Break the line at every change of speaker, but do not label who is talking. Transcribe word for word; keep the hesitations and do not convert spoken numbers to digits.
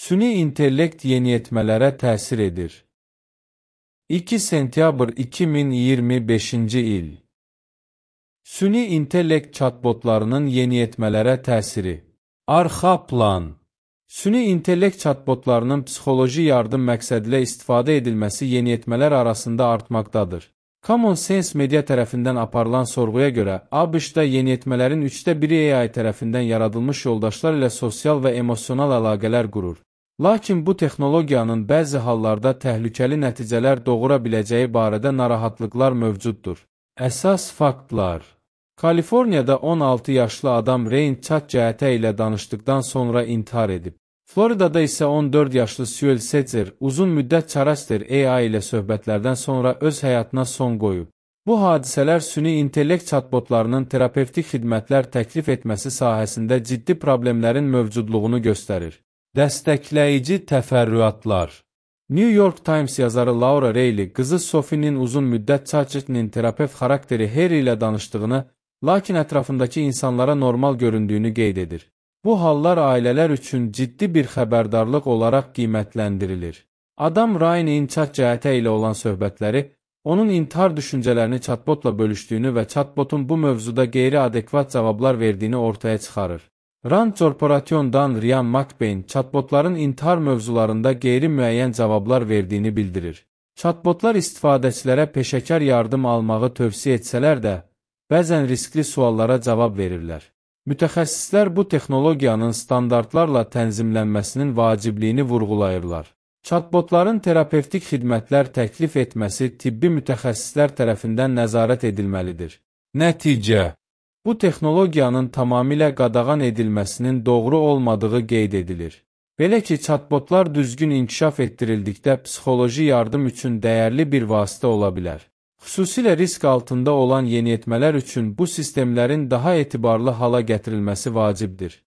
Süni intellekt yeniyetmələrə təsir edir. iki sentyabr iki min iyirmi beşinci il. Süni intellekt chatbotlarının yeniyetmələrə təsiri. Arxa plan. Süni intellekt chatbotlarının psixoloji yardım məqsədilə istifadə edilməsi yeniyetmələr arasında artmaqdadır. Common Sense Media tərəfindən aparılan sorğuya görə, ABŞ-da yeniyetmələrin üçdə biri A I tərəfindən yaradılmış yoldaşlar ilə sosial və emosional əlaqələr qurur. Lakin bu texnologiyanın bəzi hallarda təhlükəli nəticələr doğura biləcəyi barədə narahatlıqlar mövcuddur. Əsas faktlar. Kaliforniyada on altı yaşlı adam Rain chat-cəhətə ilə danışdıqdan sonra intihar edib. Floridada isə on dörd yaşlı Suel Setzer uzun müddət Charaster A I ilə söhbətlərdən sonra öz həyatına son qoyub. Bu hadisələr süni intellekt chatbotlarının terapevtik xidmətlər təklif etməsi sahəsində ciddi problemlərin mövcudluğunu göstərir. Dəstəkləyici təfərrüatlar. New York Times yazarı Laura Reilly qızı Sophie'nin uzun müddət ChatGPT'nin terapevt xarakteri Harry ilə danışdığını, lakin ətrafındakı insanlara normal göründüyünü qeyd edir. Bu hallar ailələr üçün ciddi bir xəbərdarlıq olaraq qiymətləndirilir. Adam Ryan'in chat-cəhətə ilə olan söhbətləri, onun intihar düşüncələrini chatbotla bölüşdüyünü və chatbotun bu mövzuda qeyri-adekvat cavablar verdiyini ortaya çıxarır. Rand Corporation'dan Ryan McBain chatbotların intihar mövzularında qeyri-müəyyən cavablar verdiyini bildirir. Chatbotlar istifadəçilərə peşəkar yardım almağı tövsiyə etsələr də, bəzən riskli suallara cavab verirlər. Mütəxəssislər bu texnologiyanın standartlarla tənzimlənməsinin vacibliyini vurğulayırlar. Chatbotların terapevtik xidmətlər təklif etməsi tibbi mütəxəssislər tərəfindən nəzarət edilməlidir. Nəticə. Bu texnologiyanın tamamilə qadağan edilməsinin doğru olmadığı qeyd edilir. Belə ki, chatbotlar düzgün inkişaf etdirildikdə psixoloji yardım üçün dəyərli bir vasitə ola bilər. Xüsusilə risk altında olan yeniyetmələr üçün bu sistemlərin daha etibarlı hala gətirilməsi vacibdir.